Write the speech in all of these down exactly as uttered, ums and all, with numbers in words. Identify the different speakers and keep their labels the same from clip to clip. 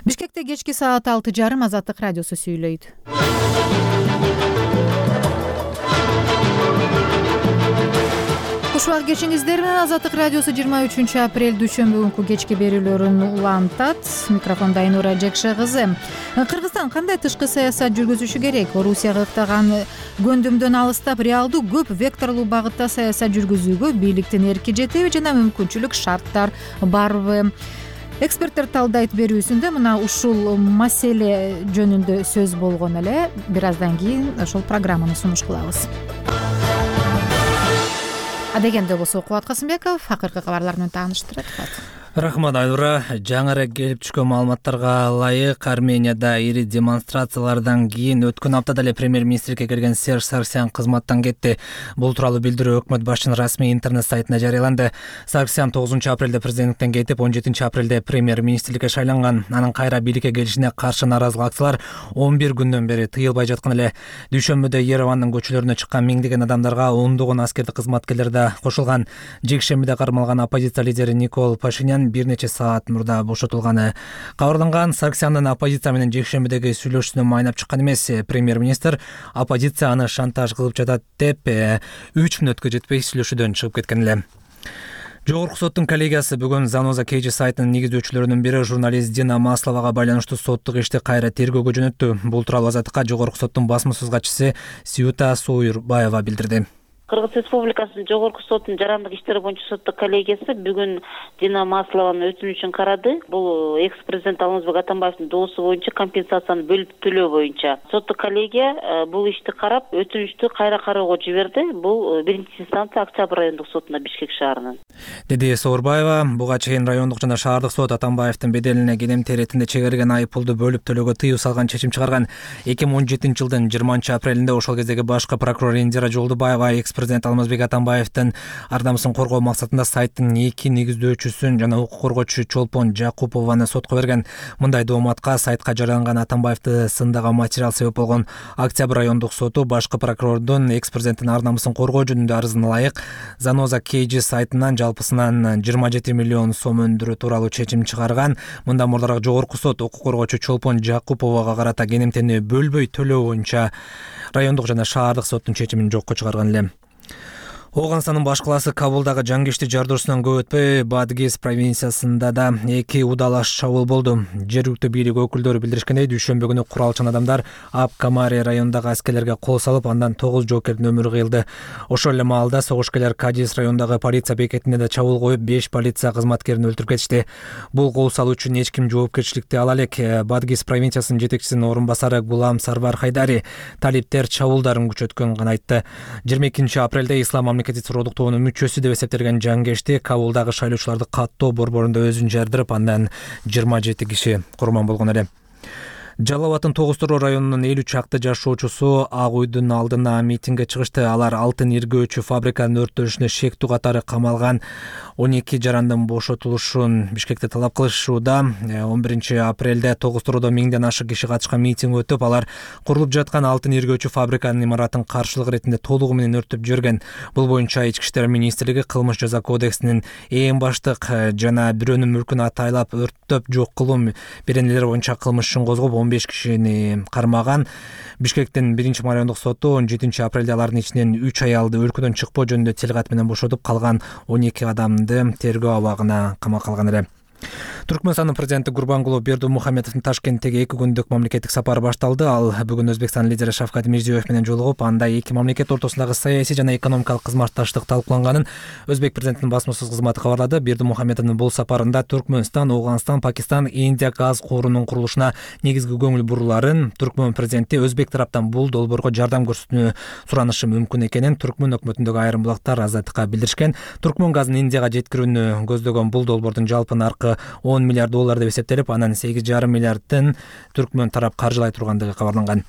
Speaker 1: Бишкекте кечки саат алты жарым Азаттык радиосу сүйлөйт. Кушубак кечиңиздер менен Азаттык радиосу жыйырма үчүнчү апрель дүйшөмбү күнкү кечки берүүлөрүн улантат. Микрофонда Айнура Жекше кызы. Кыргызстан кандай тышкы саясат жүргүзүшү керек? Орусияга ыктаган көндүмдөн алыстап, реалдуу көп векторлуу багытта саясат жүргүзүүгө бийликтин эрки жетеби жана мүмкүнчүлүк шарттар барбы? Эксперттер талдайт берүүсүндө мына ушул маселе жөнүндө сөз болгон эле. Бир аздан кийин ошол программаны сунуш кылабыз. Адегенде болсо Кубат Касымбеков акыркы кабарлар менен тааныштырат.
Speaker 2: Рахмат Айнура. Жаңыраак келип түшкөн маалыматтарга ылайык, Арменияда ири демонстрациялардан кийин өткөн аптада эле премьер-министрге келген Серж Сарксян кызматтан кетти. Бул тууралуу билдирүү өкмөт башчынын расмий интернет сайтында жарыяланды. Сарксян тогузунчу апрелде президенттиктен кетип, он жетинчи апрелде премьер-министрликке шайланган. Анын кайра бийликке келишине каршы нааразылык акциялар он бир күндөн бери тыйылбай жаткан эле. Дүйшөмбүдө Еревандын көчөлөрүнө чыккан миңдеген адамдарга ондогон аскердик кызматкерлер да кошулган. Жекшембиде кармалган оппозиция лидери Никол Пашинян бир нече саат мурда бошотулганы кабарланган. Сарксяндын оппозиция менен жекшембидеги сүйлөшүүсүнө майнап чыккан эмес. Премьер-министр оппозиция аны шантаж кылып жатат деп үч мүнөткө жетпей сүйлөшүүдөн чыгып кеткен эле. Жогорку соттун коллегиясы бүгүн Заноза Кейджи сайтынын негиздөөчүлөрүнүн бири журналист Дина Масловага байланыштуу соттук ишти кайра тергөөгө жөнөттү. Бул тууралуу Азаттыкка Жогорку соттун басма сөз катчысы Сюта Сойурбаева билдирди.
Speaker 3: Кыргыз Республикасынын Жогорку соттун жарандык иштер боюнча соттук коллегиясы бүгүн Дина Маслованын өтүнүчүн карады. Бул экс-президент Алмазбек Атамбаевдин доосу боюнча компенсацияны бөлүп төлөө боюнча. Соттук коллегия бул ишти карап, өтүнүчтү кайра кароого жиберди. Бул биринчи инстанция Октябрь райондук сотунда Бишкек шаарынын.
Speaker 2: Деди Сойурбаева. Буга чейин райондук жана шаардык сот Атамбаевдин беделине кенемти иретинде чегерген айыппулду бөлүп төлөөгө тыюу салган чечим чыгарган. эки миң он жетинчи жылдын жыйырманчы апрелинде ошол кездеги башкы прокурор Индира Жолдубаева президент Алмазбек Атамбаевдин ар намысын коргоо максатында сайттын эки негиздөөчүсүн жана укук коргоочу Чолпон Жакупованы сотко берген. Мындай дооматка сайтка жарыяланган Атамбаевди сындаган материал себеп болгон. Октябрь райондук соту башкы прокурордун экс-президенттин ар намысын коргоо жөнүндө арызына ылайык Заноза Кейджи сайтынан жалпысынан жыйырма жети миллион сом өндүрүү тууралуу чечим чыгарган. Мындан мурдараак Жогорку сот укук коргоочу Чолпон Жакуповага карата кенемтени бөлбөй төлөө боюнча райондук жана шаардык соттун чечимин жокко чыгарган эле. Ооганстандын баш калаасы Кабулдагы жаңгишти жардоосунан көп өтпөй Бадгиз провинциясында да эки удалаш чабуул болду. Жергиликтүү бийлик өкүлдөрү билдиришкендей, дүйшөмбү күнү куралчан адамдар Ап-Камари районундагы аскерлерге кол салып, андан тогуз жоокердин өмүрү кыйылды. Ошол эле маалда согушкерлер Кадис районундагы полиция бекетине да чабуул коюп, беш полиция кызматкерин өлтүрүп кетишти. Бул кол салуу үчүн эч ким жоопкерчиликти ала элек. Бадгиз провинциясынын жетекчисинин орун басары Гулам Сарвар Хайдари талиптер чабуулдарын күчөткөнүн айтты. жыйырма экинчи апрелде Ислам мамлекети суродуктоонун мүчөсү деп эсептелген жаңгешти Кабулдагы шайлоочуларды каттоо борборунда өзүн жардырып, андан жыйырма жети киши курман болгон эле. Жалал Абадтын Тогуз-Тороо районунун элүү чакты жашоочусу Ак Үйдүн алдына митингге чыгышты. Алар алтын иргөөчү фабриканын өрттөнүшүнө шектүү катары камалган он эки жарандын бошотулушун Бишкекте талап кылышууда. он биринчи апрелде Тогуз-Тороодо миңден ашык киши катышкан митинг өтүп, алар курулуп жаткан алтын иргөөчү фабриканын имаратын каршылык иретинде толугу менен өрттөп жиберген. Бул боюнча Ички иштер министрлиги кылмыш жаза кодексинин эң баштык жана бирөөнүн мүлкүн атайлап өрттөп жок кылуу беренелери боюнча кылмыш ишин козгоп, он беш кишини кармаган. Бишкектин биринчи райондук соту он жетинчи апрелде алардын ичинен үч аялды өлкөдөн чыкпоо жөнүндө телкат менен бошотуп, калган он эки адамды тергөө абагына камакка алган эле. Түркмөнстандын президенти Гурбангулы Бердимухамедовдун Ташкенттеги эки күндүк мамлекеттик сапары башталды. Ал бүгүн Өзбекстан лидери Шавкат Мирзиёев менен жолугуп, анда эки мамлекет ортосундагы саясий жана экономикалык кызматташтык талкууланганын Өзбек президентинин басма сөз кызматы кабарлады. Бердимухамедовдун бул сапарында Түркмөнстан, Ооганстан, Пакистан, Индия газ куурунун курулушуна негизги көңүл буруларын, Түркмөн президенти Өзбек тараптан бул долбоорго жардам көрсөтүүнү суранышы мүмкүн экенин Түркмөн өкмөтүндөгү айрым булактар Азаттыкка билдиришкен. Түркмөн газын Индияга жеткирүүнү көздөгөн бул долбоордун жалпы наркы он миллиард доллар деп эсептелип, анан сегиз жарым миллиардын Түркмөн тарап каржылай тургандыгы кабарланган.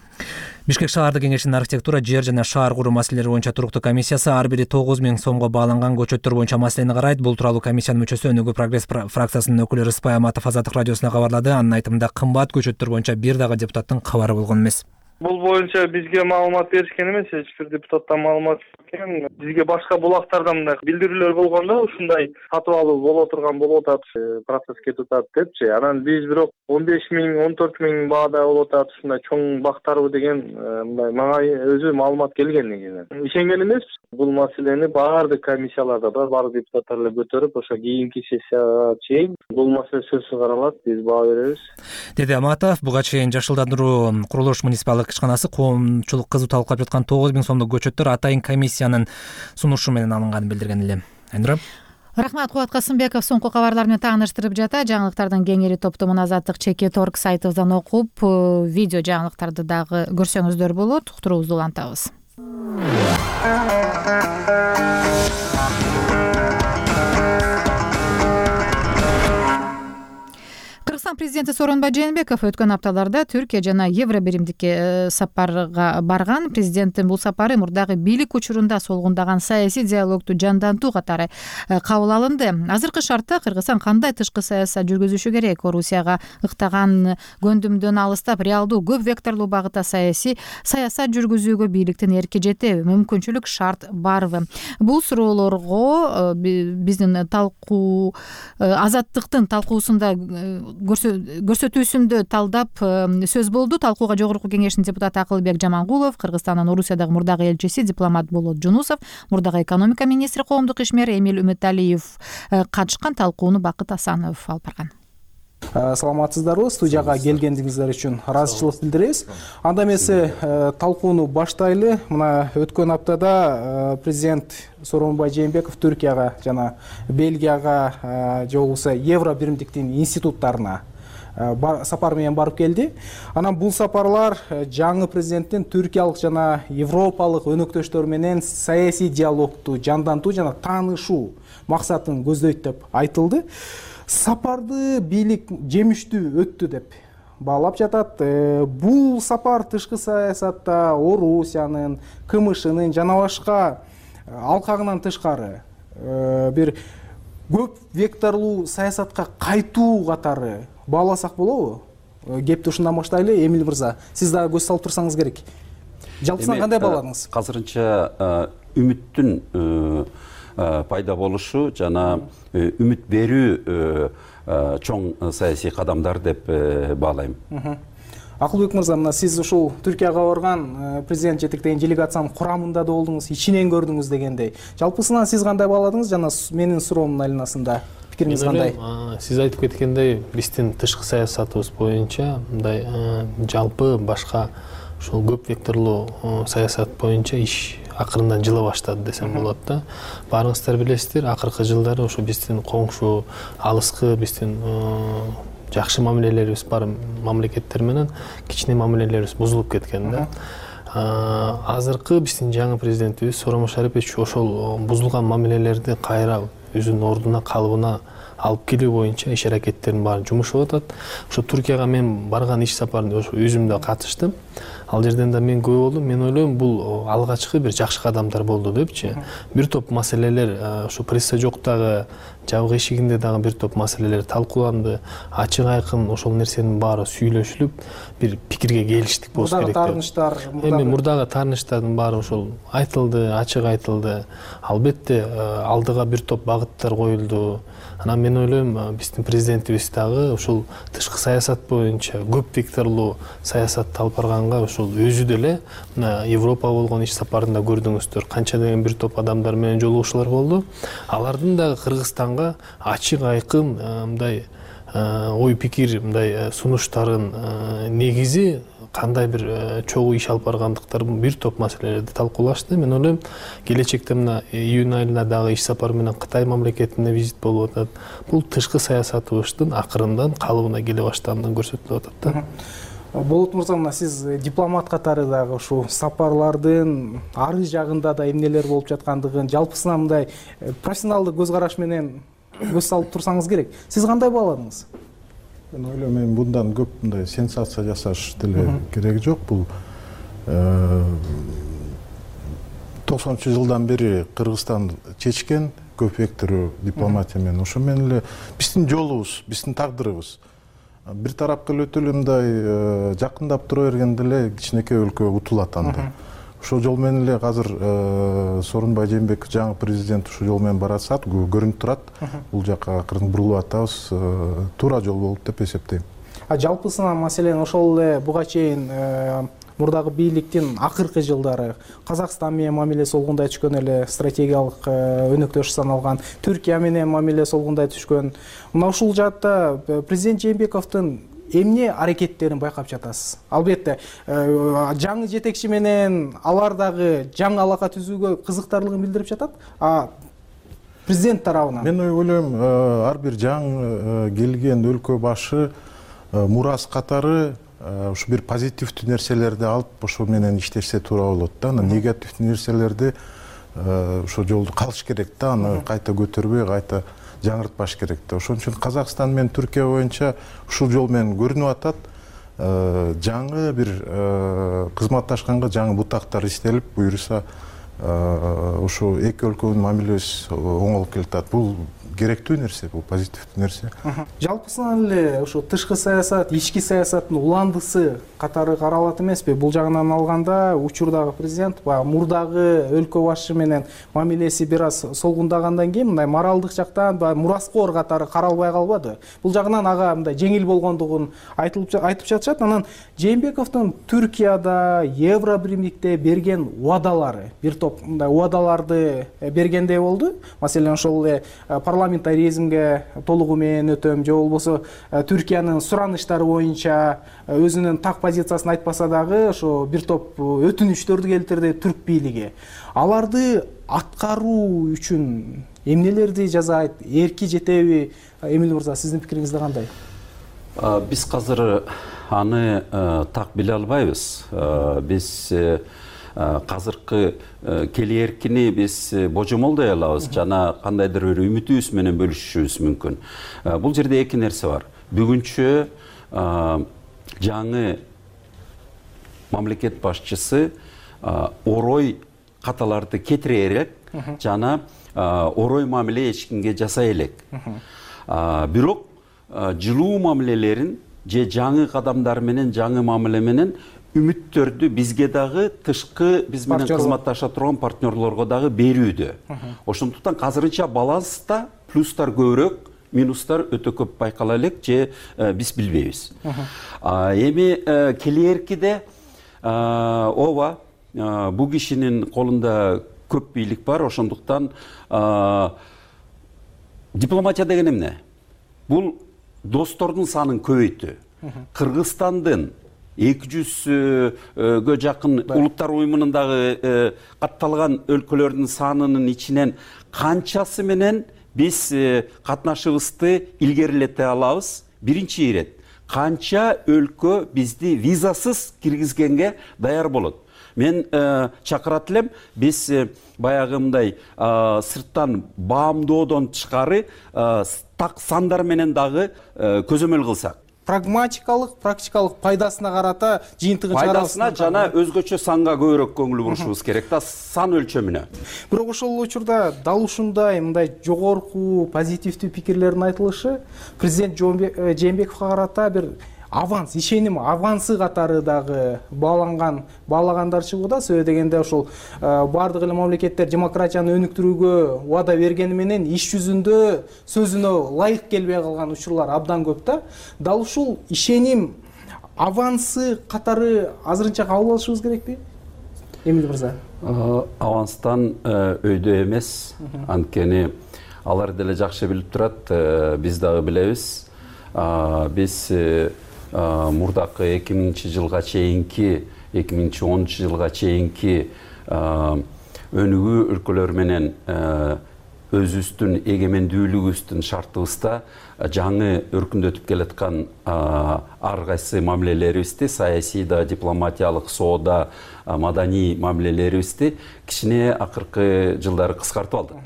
Speaker 2: Бишкек шаардык кеңешинин архитектура, жер жана шаар куруу маселелери боюнча туруктуу комиссиясы ар бири тогуз миң сомго бааланган көчөттөр боюнча маселени карайт. Бул тууралуу комиссиянын мүчөсү Өнүгүү прогресс фракциясынын өкүлү Рыспай Аматов Азаттык радиосуна кабарлады. Анын айтымында, кымбат көчөттөр боюнча бир дагы депутаттын кабары болгон эмес.
Speaker 4: Бул боюнча бизге маалымат беришкен эмес, эч бир депутаттан маалымат экен. Бизге башка булактардан мындай билдирүүлөр болгондо ушундай сатып алуу боло турган болуп атат, процесс кетип атат депчи. Анан биз бирок он беш миң, он төрт миң баада болуп атат, ушундай чоң бактарбы деген мындай мага өзү маалымат келген негизинен. Ишенген эмеспиз. Бул маселени баардык комиссияларда да баардык депутаттар эле көтөрүп, ошо кийинки сессияга чейин бул маселе сөзсүз каралат, биз баа беребиз,
Speaker 2: деди Аматов. Буга чейин Жашылдандыруу курулуш муниципалдык ишканасы коомчулук кызуу талкуулап жаткан тогуз миң сомдук көчөттөр атайын комиссиянын сунушу менен алынганын билдирген эле. Айнура.
Speaker 1: Рахмат, Кубат Касымбеков соңку кабарлар менен тааныштырып жата. Жаңылыктардын кеңири топтомун Азаттык чекит точка орг сайтыбыздан окуп, видео жаңылыктарды дагы көрсөңүздөр болот. Уктуруубузду улантабыз. Кыргызстан президенти Сооронбай Жээнбеков өткөн апталарда Түркия жана Евро биримдикке сапарга барган. Президенттин бул сапары мурдагы бийлик учурунда солгундаган саясий диалогду жандантуу катары кабыл алынды. Азыркы шартта Кыргызстан кандай тышкы саясат жүргүзүшү керек? Орусияга ыктаган көндүмдөн алыстап, реалдуу көп векторлуу багытта саясий саясат жүргүзүүгө бийликтин эрки жетеби? Мүмкүнчүлүк шарт барбы? Бул суроолорго биздин талкуу Азаттыктын талкуусунда көрсөтүүсүндө талдап сөз болду. Талкууга Жогорку Кеңештин депутаты Акылбек Жамангулов, Кыргызстандын Орусиядагы мурдагы элчиси дипломат Болот Жунусов, мурдагы экономика министри, коомдук ишмер Эмил Үмүталиев катышкан. Талкууну Бакыт Асанов алып барган.
Speaker 5: Саламатсыздарбы? Студияга келгениңиздер үчүн ыраазычылык билдиребиз. Анда эмесе талкууну баштайлы. Мына өткөн аптада президент Сооронбай Жээнбеков Түркияга жана Бельгияга же болбосо Евро биримдиктин институттарына сапар менен барып келди. Анан бул сапарлар жаңы президенттин түркиялык жана европалык өнөктөштөр менен саясий диалогду жандантуу жана таанышуу максатын көздөйт деп айтылды. Сапарды бийлик жемиштүү өттү деп баалап жатат. Бул сапар тышкы саясатта Орусиянын, КМШнын жана башка алкагынан тышкары бир көп векторлуу саясатка кайтуу катары бааласак болобу? Кепти ушундан баштайлы. Эмил мырза, сиз дагы көз салып турсаңыз керек. Жалпысынан кандай бааладыңыз?
Speaker 6: Азырынча үмүттүн пайда болушу жана үмүт берүү чоң саясий кадамдар деп баалайм.
Speaker 5: Акылбек мырза, мына сиз ушул Түркияга барган президент жетектеген делегациянын курамында да болдуңуз, ичинен көрдүңүз дегендей. Жалпысынан сиз кандай бааладыңыз жана менин суроомдун айланасында пикириңиз кандай?
Speaker 7: Сиз айтып кеткендей, биздин тышкы саясатыбыз боюнча мындай жалпы башка ушул көп векторлуу саясат боюнча иш акырындан жыла баштады десем болот да. Баарыңыздар билесиздер, акыркы жылдары ошо биздин коңшу, алыскы биздин жакшы мамилелерибиз бар мамлекеттер менен кичине мамилелерибиз бузулуп кеткен да. Азыркы биздин жаңы президентибиз Сооронбай Шарипович ошол бузулган мамилелерди кайра өзүнүн ордуна, калыбына алып келүү боюнча иш аракеттерин баарын жумушуп атат. Ошо Түркияга мен барган иш сапарында ошо өзүм да катыштым. Ал жерден да мен күбө болдум. Мен ойлойм, бул алгачкы бир жакшы кадамдар болду депчи. Бир топ маселелер ошо пресса жоктагы жабык эшигинде дагы бир топ маселелер талкууланды. Ачык айкын ошол нерсенин баары сүйлөшүлүп, бир пикирге келиштик болуш керек.
Speaker 5: Таарынычтар,
Speaker 7: эми мурдагы таарынычтардын баары ошол айтылды, ачык айтылды. Албетте алдыга бир топ багыттар коюлду. Анан мен ойлойм, биздин президентибиз дагы ушул тышкы саясат боюнча көп векторлуу саясатты алып барганга ушул өзү деле мына Европа болгон иш сапарында көрдүңүздөр, канча деген бир топ адамдар менен жолугушуулар болду. Алардын дагы Кыргызстанга ачык айкын мындай ой пикир, мындай сунуштарын негизи кандай бир чогуу иш алып баргандыктарын бир топ маселелерди талкуулашты. Мен ойлойм, келечекте мына июнь айында дагы иш сапар менен Кытай мамлекетине визит болуп атат. Бул тышкы саясатыбыздын акырындан калыбына келе баштаганын көрсөтүп атат да.
Speaker 5: Болот мырза, мына сиз дипломат катары дагы ушул сапарлардын ары жагында да эмнелер болуп жаткандыгын жалпысынан мындай профессионалдык көз караш менен көз салып турсаңыз керек. Сиз кандай бааладыңыз?
Speaker 8: Мен ойлойм, мен мындан көп мындай сенсация жасаш деле кереги жок. Бул токсонунчу жылдан бери Кыргызстан чечкен көп вектору дипломатия менен. Ошо менен эле биздин жолубуз, биздин тагдырыбыз. бир тарапка эле өтө эле мындай жакындап тура бергенде эле кичинекей өлкө утулат анда. Ошол жол менен эле азыр Сооронбай Жээнбеков жаңы президент ушул жол менен баратсат, көрүнүп турат. Бул жака акырын бурулуп атабыз, туура жол болуп деп эсептейм.
Speaker 5: А жалпысынан маселен ошол эле буга чейин мурдагы бийликтин акыркы жылдары Казакстан менен мамилеси болгондой түшкөн эле, стратегиялык өнөктөш саналган, Түркия менен мамилеси болгондой түшкөн. Мына ушул жаатта президент Жээнбековдун эмне аракеттерин байкап жатасыз? Албетте, жаңы жетекчи менен алар дагы жаңы алака түзүүгө кызыктарлыгын билдирип жатат. А президент тарабынан
Speaker 8: мен ойлойм, ар бир жаңы келген өлкө башы мурас катары ушу бир позитивдүү нерселерди алып ошо менен иштешсе туура болот да. Анан негативдүү нерселерди ошо жолду калыш керек да, аны кайта көтөрбөй, кайта жаңыртпаш керек да. Ошон үчүн Казакстан менен Түркия боюнча ушул жол менен көрүнүп атат. Жаңы бир кызматташканга жаңы бутактар иштелип, буюрса ошо эки өлкөнүн мамилеси оңолуп келатат. Бул керектүү нерсе, бул позитивдүү нерсе.
Speaker 5: Жалпысынан эле ошо тышкы саясат, ички саясаттын уландысы катары каралат эмеспи? Бул жагынан алганда учурдагы президент баягы мурдагы өлкө башы менен мамилеси бир аз солгундагандан кийин мындай моралдык жактан баягы мураскор катары каралбай калбады. Бул жагынан ага мындай жеңил болгондугун айтылып айтып жатышат. Анан Жээнбековдун Түркияда, Евробиримдикте берген убадалары, бир топ мындай убадаларды бергендей болду. Маселен, ошол эле парламентаризмге толугу менен өтөм, же болбосо Түркиянын сураныштары боюнча өзүнүн так позициясын айтпаса дагы ошо бир топ өтүнүчтөрдү келтирди түрк бийлиги. Аларды аткаруу үчүн эмнелерди жасайт? Эрки жетеби? Эмил мырза, сиздин пикириңизде кандай?
Speaker 6: Биз азыр аны так биле албайбыз. Биз казыркы келээркини биз божомолдой алабыз жана кандайдыр бир үмүтүбүз менен бөлүшүшүбүз мүмкүн. Бул жерде эки нерсе бар. Бүгүнчө жаңы мамлекет башчысы орой каталарды кетире элек жана орой мамиле эч кимге жасай элек. Бирок жылуу мамилелерин же жаңы кадамдар менен, жаңы мамиле менен үмүттөрдү бизге дагы тышкы биз менен кызматташа турган партнерлорго дагы берүүдө. Ошондуктан азырынча баланста плюстар көбүрөөк, минустар өтө көп байкала элек же биз билбейбиз. Эми келээркиде ооба бул кишинин колунда көп бийлик бар, ошондуктан дипломатия деген эмне? Бул достордун санын көбөйтүү. Кыргызстандын эки жүзгө жакын улуттар уюмунун дагы катталган өлкөлөрдүн санынын ичинен канчасы менен биз катнашыбызды илгерилете алабыз? Биринчи ирет, канча өлкө бизди визасыз киргизгенге даяр болот? Мен чакырат элем, биз баягы мындай сырттан баамдоодон тышкары так сандар менен дагы көзөмөл кылсак.
Speaker 5: Прагматикалык, практикалык пайдасына карата жыйынтыгын чыгарабыз.
Speaker 6: Пайдасына жана өзгөчө санга көбүрөөк көңүл бурушубуз керек да, сан өлчөмүнө.
Speaker 5: Бирок ошол учурда дал ушундай мындай жогорку позитивдүү пикирлердин айтылышы президент Жээнбековго карата бир аванс, ишеним авансы катары дагы бааланган, баалагандар чыгууда. Себеби дегенде ошол бардык эле мамлекеттер демократияны өнүктүрүүгө убада бергени менен иш жүзүндө сөзүнө ылайык келбей калган учурлар абдан көп да. Дал ушул ишеним авансы катары азырынча кабыл алышыбыз керекпи? Эмил мырза.
Speaker 6: Аванстан өйдө эмес, анткени алар деле жакшы билип турат, биз дагы билебиз. Биз мурдакы эки миңинчи жылга чейинки, эки миң онунчу жылга чейинки өнүгүү өлкөлөр менен өзүбүздүн эгемендүүлүгүбүздүн шартыбызда жаңы өркүндөтүп келаткан ар кайсы мамилелерибизди, саясий да, дипломатиялык, соода, маданий мамилелерибизди кичине акыркы жылдары кыскартып алдык.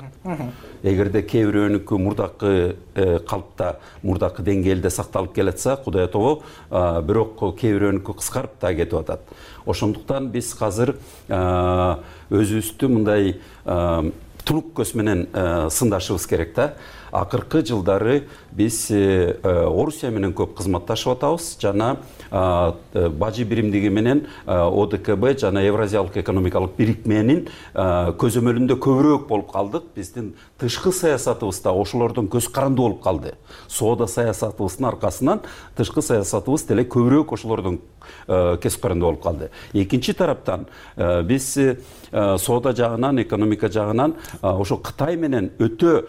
Speaker 6: Эгерде кээ бирөөнүкү мурдакы калпта, мурдакы деңгээлде сакталып келатса, Кудай тобо, бирок кээ бирөөнүкү кыскарып да кетип атат. Ошондуктан биз азыр өзүбүздү мындай тунук көз менен сындашыбыз керек да. акыркы жылдары биз Орусия менен көп кызматташып атабыз жана бажы биримдиги менен О Д К Б жана Евразиялык экономикалык бирикменин көзөмөлүндө көбүрөөк болуп калдык. Биздин тышкы саясатыбыз да ошолордон көз каранды болуп калды. Соода саясатыбыздын аркасынан тышкы саясатыбыз деле көбүрөөк ошолордон көз каранды болуп калды. Экинчи тараптан биз соода жагынан, экономика жагынан ошо Кытай менен өтө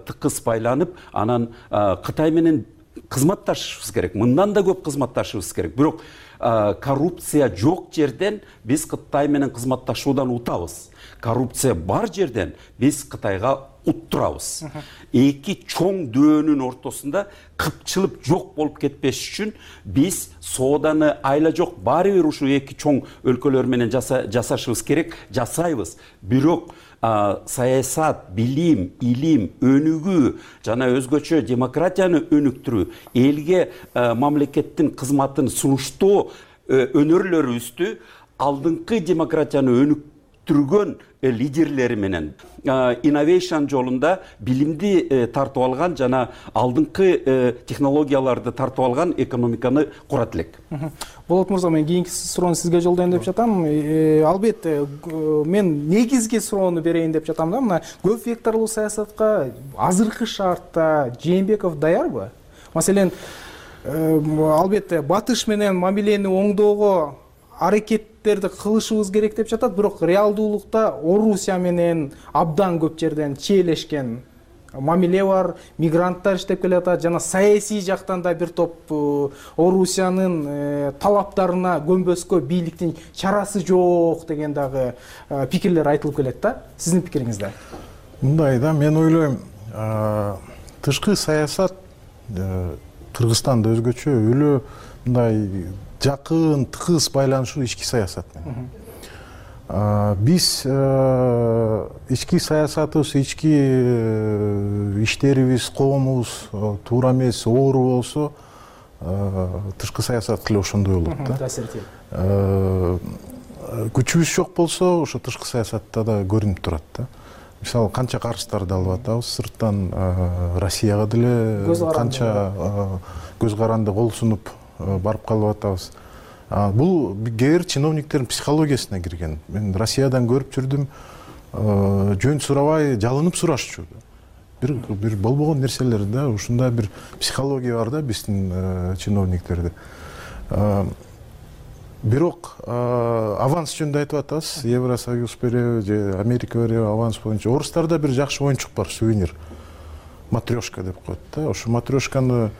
Speaker 6: тыкыз байланып, анан Кытай менен кызматташышыбыз керек. Мындан да көп кызматташышыбыз керек. Бирок коррупция жок жерден биз Кытай менен кызматташуудан утабыз. Коррупция бар жерден биз Кытайга уттурабыз. Эки чоң дөөнүн ортосунда кыпчылып жок болуп кетпеш үчүн биз сооданы айла жок баары бир ушу эки чоң өлкөлөр менен жасашыбыз керек, жасайбыз. Бирок саясат, билим, илим, өнүгүү жана өзгөчө демократияны өнүктүрүү, элге мамлекеттин кызматын сунуштоо өнөрлөрүбүздү алдыңкы демократияны өнүктүргөн лидерлери менен innovation жолунда билимди тартып алган жана алдыңкы технологияларды тартып алган экономиканы курат элек.
Speaker 5: Болот мырза, мен кийинки суроону сизге жолдойм деп жатам. Албетте, мен негизги суроону берейин деп жатам да. Мына көп векторлуу саясатка азыркы шартта Жээнбеков даярбы? Маселен, албетте батыш менен мамилени оңдоого аракеттерди кылышыбыз керек деп жатат, бирок реалдуулукта Орусия менен абдан көп жерден чиелешкен мамиле бар, мигранттар иштеп келатат жана саясий жактан да бир топ Орусиянын талаптарына көнбөскө бийликтин чарасы жок деген дагы пикирлер айтылып келет да. Сиздин пикириңизде?
Speaker 8: Мындай да, мен ойлойм, тышкы саясат Кыргызстанда өзгөчө өлө мындай жакын, тыгыз байланышуу ички саясат менен. Биз ички саясатыбыз, ички иштерибиз, коомубуз туура эмес, оору болсо, тышкы саясат деле ошондой болот да.
Speaker 5: Таасирти.
Speaker 8: Күчүбүз жок болсо, ошо тышкы саясатта да көрүнүп турат да. Мисалы, канча карыздарды алып атабыз, сырттан Россияга деле канча көз каранды кол сунуп барып калып атабыз. Бул кээ бир чиновниктердин психологиясына кирген. Мен Россиядан көрүп жүрдүм, жөн сурабай жалынып сурашчу. Бир бир болбогон нерселер да, ушундай бир психология бар да биздин чиновниктерде. Бирок аванс жөнүндө айтып атабыз, Евросоюз береби же Америка береби аванс боюнча. Орустарда бир жакшы оюнчук бар, сувенир. Матрешка деп коет да. Ошо матрешканы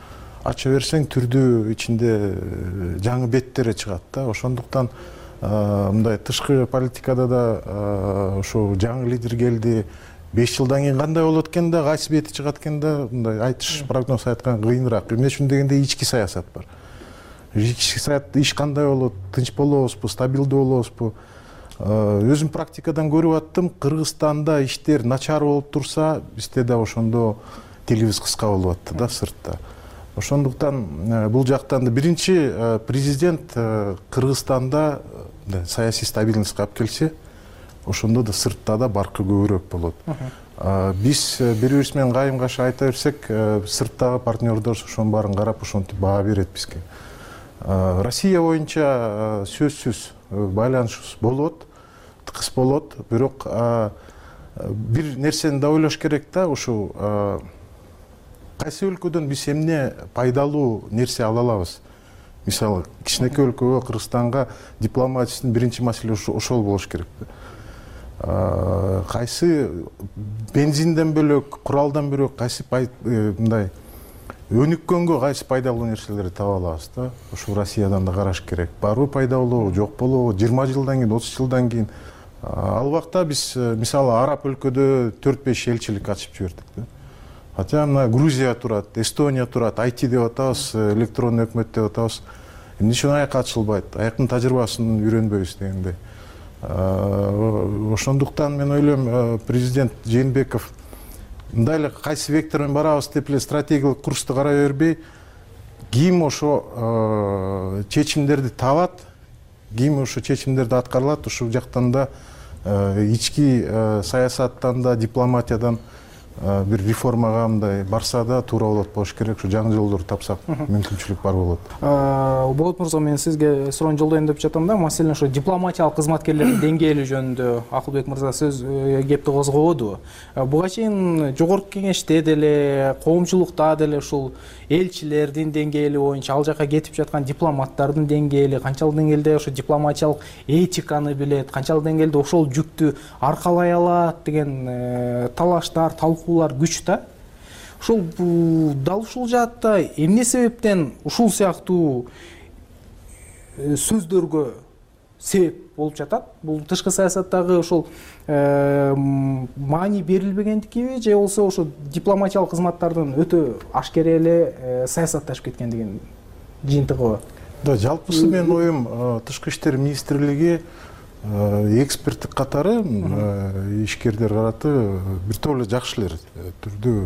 Speaker 8: ача берсең түрдүү ичинде жаңы беттери чыгат да. Ошондуктан мындай тышкы политикада да ошо жаңы лидер келди. беш жылдан кийин кандай болот экен да, кайсы бети чыгат экен да, мындай айтыш, прогноз айткан кыйыныраак. Эмне үчүн дегенде ички саясат бар. Ички саясат иш кандай болот, тынч болобузбу, стабилдүү болобузбу? Өзүм практикадан көрүп аттым, Кыргызстанда иштер начар болуп турса, бизде да ошондо тилибиз кыска болуп атты да сыртта. Ошондуктан бул жактан да биринчи президент Кыргызстанда саясий стабильностька алып келсе, ошондо да сыртта да баркы көбүрөөк болот. Биз бири-бирибиз менен кайым-кайшы айта берсек, сырттагы партнердор ошонун баарын карап ошентип баа берет бизге. Россия боюнча сөзсүз байланышыбыз болот, тыкыз болот, бирок бир нерсени да ойлош керек да, ушул кайсы өлкөдөн биз эмне пайдалуу нерсе ала алабыз? Мисалы, кичинекей өлкөгө, Кыргызстанга дипломатиянын биринчи маселе ошол болуш керек. Кайсы бензинден бөлөк, куралдан бөлөк кайсы мындай өнүккөнгө кайсы пайдалуу нерселерди таба алабыз да? Ошо Россиядан да караш керек. Барбы пайдалуу, жок болобу? жыйырма жылдан кийин, отуз жылдан кийин. Ал убакта биз мисалы араб өлкөдө төрт беш элчилик ачып жибердик да. Хотя мына Грузия турат, Эстония турат, ай ти деп атабыз, электрондуу өкмөт деп атабыз. Эмне үчүн аяка ачылбайт? Аяктын тажрыйбасын үйрөнбөйбүз дегендей. Ошондуктан мен ойлойм, президент Жээнбеков мындай эле кайсы вектор менен барабыз деп эле стратегиялык курсту карай бербей, ким ошо чечимдерди табат, ким ошо чечимдерди аткарылат, ушул жактан да ички саясаттан да, дипломатиядан бир реформага мындай барса да туура болот болуш керек. Ушу жаңы жолдорду тапсак мүмкүнчүлүк бар болот.
Speaker 5: Болот мырза, мен сизге суроону жолдоюн деп жатам да. Маселен ошо дипломатиялык кызматкерлердин деңгээли жөнүндө Акылбек мырза сөз кепти козгободу. Буга чейин жогорку кеңеште деле, коомчулукта деле ушул элчилердин деңгээли боюнча, ал жака кетип жаткан дипломаттардын деңгээли канчалык деңгээлде ошо дипломатиялык этиканы билет, канчалык деңгээлде ошол жүктү аркалай алат деген талаштар, талкуулар күч да. Ушул дал ушул жаатта эмне себептен ушул сыяктуу сөздөргө себеп болуп жатат? Бул тышкы саясаттагы ошол маани берилбегендикиби же болсо ошо дипломатиялык кызматтардын өтө ашкере эле саясатташып кеткендигинин жыйынтыгыбы?
Speaker 8: Да, жалпысы менин оюм Тышкы иштер министрлиги эксперттик катары ишкерлер караты бир топ эле жакшы эле түрдүү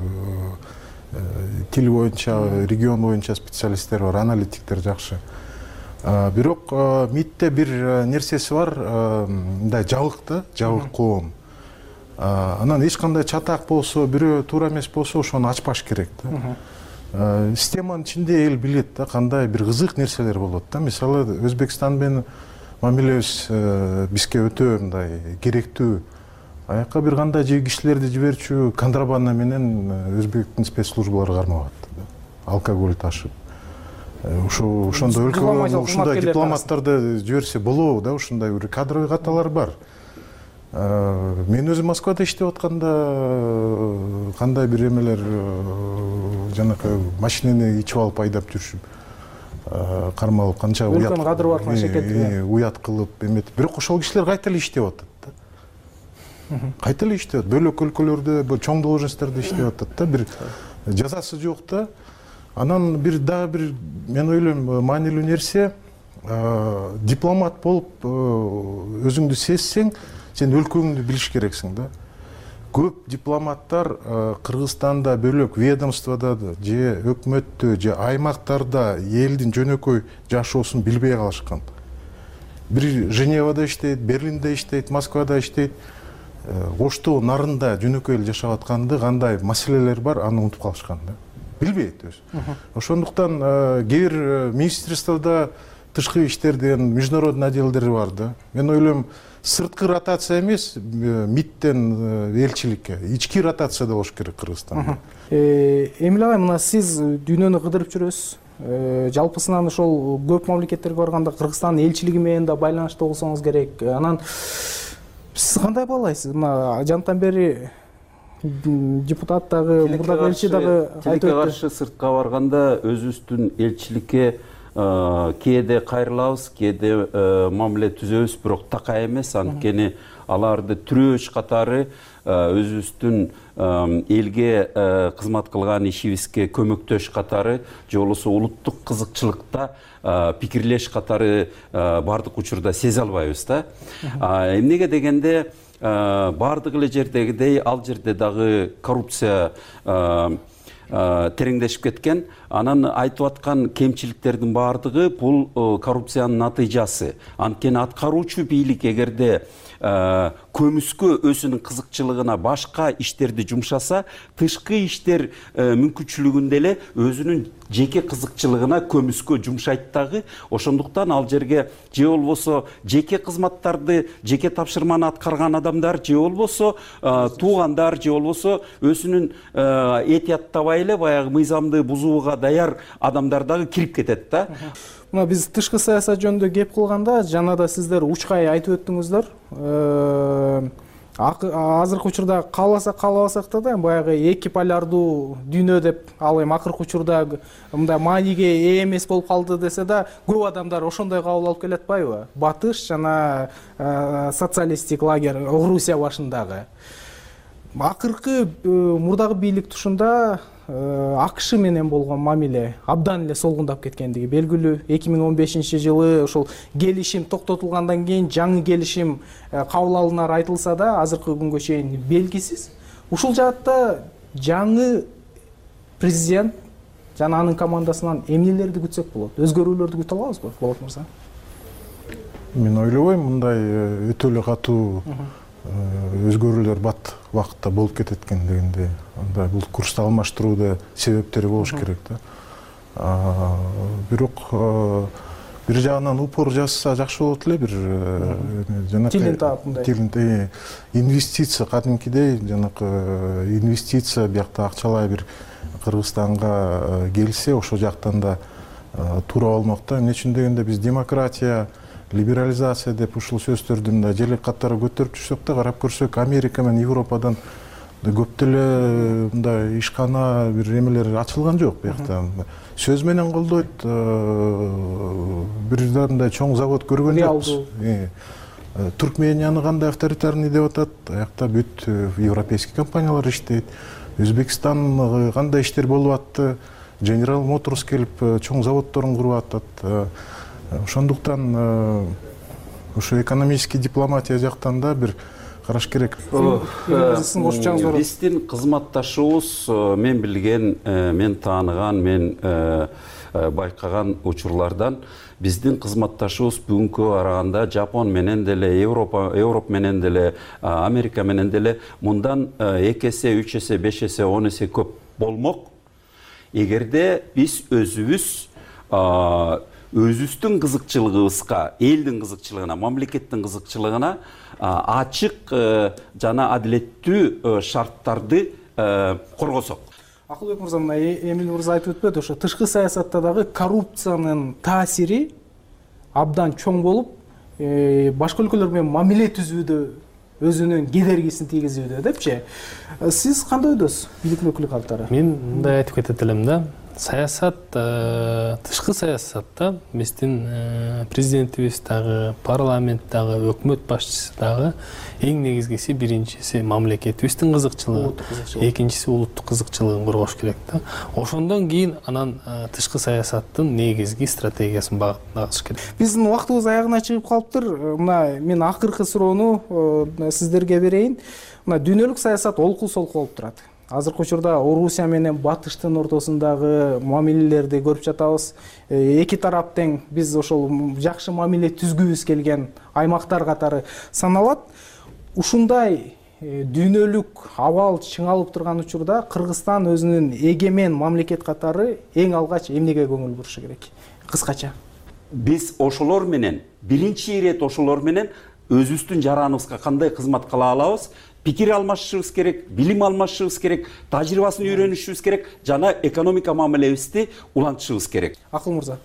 Speaker 8: тил боюнча, регион боюнча специалисттер бар, аналитиктер жакшы. Бирок МИДте бир нерсеси бар, мындай жабык да, жабык коом. Анан эч кандай чатак болсо, бирөө туура эмес болсо, ошону ачпаш керек да. Системанын ичинде эл билет да, кандай бир кызык нерселер болот да. Мисалы, Өзбекстан менен мамилебиз бизге өтө мындай керектүү. Аяка бир кандай же кишилерди жиберчү контрабанда менен өзбектин спецслужбалары кармап атты. Алкоголь ташып. Ошо ошондой өлкөгө ушундай дипломаттарды жиберсе болобу да, ушундай бир кадровый каталар бар. Мен өзүм Москвада иштеп атканда кандай бир эмелер жанакы машинени ичип алып айдап жүрүшүп, кармалып, канча уят
Speaker 5: кадыр бар шекет
Speaker 8: уят кылып эметип, бирок ошол кишилер кайта эле иштеп атат да. Кайта эле иштеп атат, бөлөк өлкөлөрдө чоң должносттордо иштеп атат да, бир жазасы жок да. Анан бир дагы бир мен ойлойм маанилүү нерсе, дипломат болуп өзүңдү сезсең, сен өлкөңдү билиш керексиң да. Көп дипломаттар Кыргызстанда бөлөк ведомствода же өкмөттө же аймактарда элдин жөнөкөй жашоосун билбей калышкан. Бир Женевада иштейт, Берлинде иштейт, Москвада иштейт. Оштоо нарында жөнөкөй эл жашап атканды, кандай маселелер бар, аны унутуп калышкан да. Билбейт өзү. Ошондуктан кээ бир министрликтарда тышкы иштер деген международный отделдер бар да. Мен ойлойм, сырткы ротация эмес, МИДтен элчиликке, ички ротация да болуш керек Кыргызстанда.
Speaker 5: Эмил агай, мына сиз дүйнөнү кыдырып жүрөсүз. Жалпысынан ошол көп мамлекеттерге барганда Кыргызстандын элчилиги менен да байланышта болсоңуз керек. Анан сиз кандай баалайсыз? Мына жанатан бери депутат дагы, мурдагы элчи дагы айтып
Speaker 6: өттү. Тилекке каршы сыртка барганда өзүбүздүн элчиликке кээде кайрылабыз, кээде мамиле түзөбүз, бирок такай эмес. Анткени аларды түрөөч катары өзүбүздүн элге кызмат кылган ишибизге көмөктөш катары, же болбосо улуттук кызыкчылыкта пикирлеш катары бардык учурда сезе албайбыз да. Эмнеге дегенде, бардык эле жердегидей ал жерде дагы коррупция тереңдешип кеткен. Анан айтып аткан кемчиликтердин баардыгы бул коррупциянын натыйжасы. Анткени аткаруучу бийлик эгерде көмүскө өзүнүн кызыкчылыгына башка иштерди жумшаса, тышкы иштер мүмкүнчүлүгүндө эле өзүнүн жеке кызыкчылыгына көмүскө жумшайт дагы. Ошондуктан ал жерге же болбосо жеке кызматтарды, жеке тапшырманы аткарган адамдар, же болбосо туугандар, же болбосо өзүнүн этияттабай эле баягы мыйзамды бузууга даяр адамдар дагы кирип кетет да.
Speaker 5: Мына биз тышкы саясат жөнүндө кеп кылганда, жана да сиздер учкай айтып өттүңүздөр. Азыркы учурда кааласак каалабасак да, баягы эки полярдуу дүйнө деп, ал эми акыркы учурда мындай мааниге ээ эмес болуп калды десе да, көп адамдар ошондой кабыл алып келатпайбы? Батыш жана социалисттик лагерь Орусия башындагы. Акыркы мурдагы бийлик тушунда АКШ менен болгон мамиле абдан эле солгундап кеткендиги белгилүү. эки миң он бешинчи жылы ошол келишим токтотулгандан кийин жаңы келишим кабыл алынары айтылса да, азыркы күнгө чейин белгисиз. Ушул жаатта жаңы президент жана анын командасынан эмнелерди күтсөк болот? Өзгөрүүлөрдү күтө алабызбы, Болот мырза?
Speaker 8: Мен ойлобойм, мындай өтө эле катуу өзгөрүүлөр бат убакытта болуп кетет экен дегендей. Анда бул курсту алмаштырууда себептери болуш керек да. Бирок бир жагынан упор жасаса жакшы болот эле, бир жанакы
Speaker 5: тилин таап мындай.
Speaker 8: Тилин инвестиция кадимкидей жанакы инвестиция биякта акчалай бир Кыргызстанга келсе, ошол жактан да туура болмок да. Эмне үчүн дегенде биз демократия, либерализация деп ушул сөздөрдү мындай желек катары көтөрүп жүрсөк да, карап көрсөк Америка менен Европадан көп деле мындай ишкана бир эмелер ачылган жок биякта. Сөз менен колдойт, бир да мындай чоң завод көргөн жокпуз. Туркменияны кандай авторитарный деп атат, аякта бүт европейский компаниялар иштейт. Өзбекстан кандай иштер болуп атты, General Motors келип чоң заводдорун куруп атат. Ошондуктан ошо экономический дипломатия жактан да бир караш керек.
Speaker 6: Биздин кызматташыбыз, мен билген, мен тааныган, мен байкаган учурлардан биздин кызматташыбыз бүгүнкү караганда Жапон менен деле, Европа, Европа менен деле, Америка менен деле мындан эки эсе, үч эсе, беш эсе, он эсе көп болмок. Эгерде биз өзүбүз өзүбүздүн кызыкчылыгыбызга, элдин кызыкчылыгына, мамлекеттин кызыкчылыгына ачык жана адилеттүү шарттарды коргосок.
Speaker 5: Акылбек мырза, мына Эмил мырза айтып өтпөдү, ошо тышкы саясатта дагы коррупциянын таасири абдан чоң болуп, башка өлкөлөр менен мамиле түзүүдө өзүнүн кедергисин тийгизүүдө депчи. Сиз кандай ойдосуз, бийлик өкүлү катары?
Speaker 7: Мен мындай айтып кетет элем да. Саясат, тышкы саясатта биздин президентибиз дагы, парламент дагы, өкмөт башчысы дагы эң негизгиси биринчиси мамлекетибиздин кызыкчылыгы, экинчиси улуттук кызыкчылыгын коргош керек да. Ошондон кийин анан тышкы саясаттын негизги стратегиясын багытташ керек.
Speaker 5: Биздин убактыбыз аягына чыгып калыптыр. Мына мен акыркы суроону сиздерге берейин. Мына дүйнөлүк саясат олку-солку болуп турат. Азыркы учурда Орусия менен Батыштын ортосундагы мамилелерди көрүп жатабыз. Эки тарап тең биз ошол жакшы мамиле түзгүбүз келген аймактар катары саналат. Ушундай дүйнөлүк абал чыңалып турган учурда Кыргызстан өзүнүн эгемен мамлекет катары эң алгач эмнеге көңүл бурушу керек? Кыскача.
Speaker 6: Биз ошолор менен, биринчи ирет ошолор менен өзүбүздүн жараныбызга кандай кызмат кыла алабыз? Пикир алмашышыбыз керек, билим алмашышыбыз керек, тажрыйбасын үйрөнүшүбүз керек, жана экономика мамилебизди улантышыбыз керек.
Speaker 5: Акыл мырза.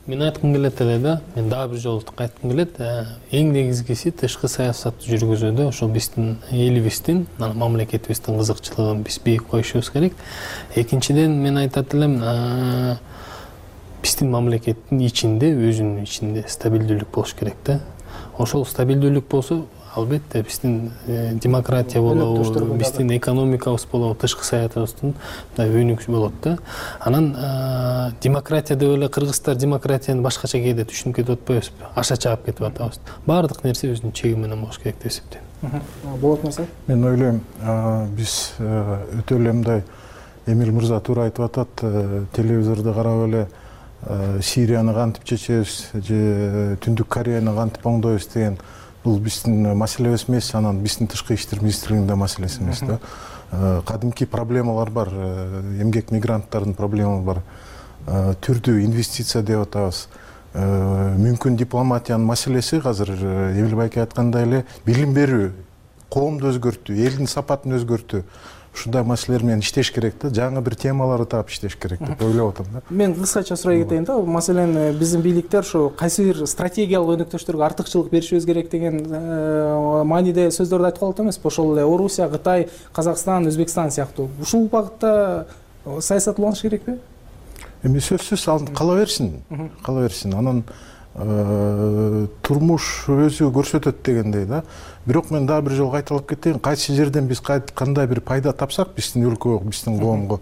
Speaker 7: Мен айткым келет эле да, мен дагы бир жолу айткым келет. Эң негизгиси тышкы саясатты жүргүзүүдө ошо биздин элибиздин, мамлекетибиздин кызыкчылыгын биз бийик коюшубуз керек. Экинчиден мен айтат элем, биздин мамлекеттин ичинде, өзүнүн ичинде стабилдүүлүк болуш керек да. Ошол стабилдүүлүк болсо, албетте биздин демократия болобу, биздин экономикабыз болобу, тышкы саясатыбыздын өнүгүшү болот да. Анан демократия деп эле кыргыздар демократияны башкача кээде түшүнүп кетип атпайбызбы? Аша чаап кетип атабыз. Баардык нерсе өзүнүн чеги менен болуш керек деп эсептейм.
Speaker 5: Болот мырза?
Speaker 8: Мен ойлойм, биз өтө эле мындай Эмил мырза туура айтып атат, телевизорду карап эле Сирияны кантип чечебиз же Түндүк Кореяны кантип оңдойбуз деген бул биздин маселебиз эмес, анан биздин тышкы иштер министрлигинин маселеси эмес да. Кадимки проблемалар бар, эмгек мигранттардын проблемасы бар, түрдүү инвестиция деп атабыз. Мүмкүн дипломатиянын маселеси азыр Эмил байке айткандай эле билим берүү, коомду өзгөртүү, элдин сапатын өзгөртүү. Ушундай маселелер менен иштеш керек да, жаңы бир темаларды таап иштеш керек деп ойлоп атам да.
Speaker 5: Мен кыскача сурай кетейин да. Маселен, биздин бийликтер ушу кайсы бир стратегиялык өнөктөштөргө артыкчылык беришибиз керек деген мааниде сөздөрдү айтып калат эмеспи? Ошол эле Орусия, Кытай, Казакстан, Өзбекстан сыяктуу. Ушул багытта саясат уланыш керекпи?
Speaker 8: Эми сөзсүз кала берсин, кала берсин. Анан турмуш өзү көрсөтөт дегендей да. Бирок мен дагы бир жолу кайталап кетейин, кайсы жерден биз кандай бир пайда тапсак биздин өлкөгө, биздин коомго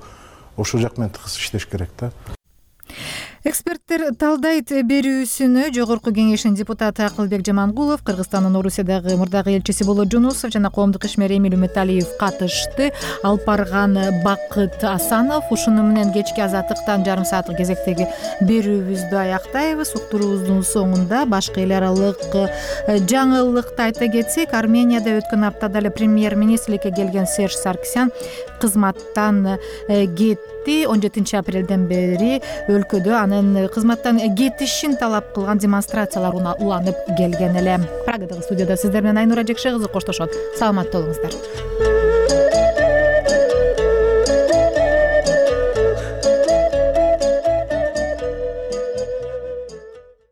Speaker 8: ошол жак менен тыгыз иштеш керек да.
Speaker 1: Эксперттер талдайт берүүсүнө жогорку кеңештин депутаты Акылбек Жамангулов, Кыргызстандын Орусиядагы мурдагы элчиси Болот Жунусов жана коомдук ишмер Эмиль Үмүталиев катышты. Алып барган Бакыт Асанов. Ушуну менен кечки Азаттыктан жарым сааттык кезектеги берүүбүздү аяктайбыз. Уктуруубуздун соңунда башка эл аралык жаңылыкты айта кетсек, Арменияда өткөн аптада эле премьер-министрликке келген Серж Саркисян кызматтан кетти. он жетинчи апрелден бери өлкөдө анын кызматтан кетишин талап кылган демонстрациялар уланып келген эле. Прагадагы студияда сиздер менен Айнура Жекше кызы коштошот. Саламатта болуңуздар.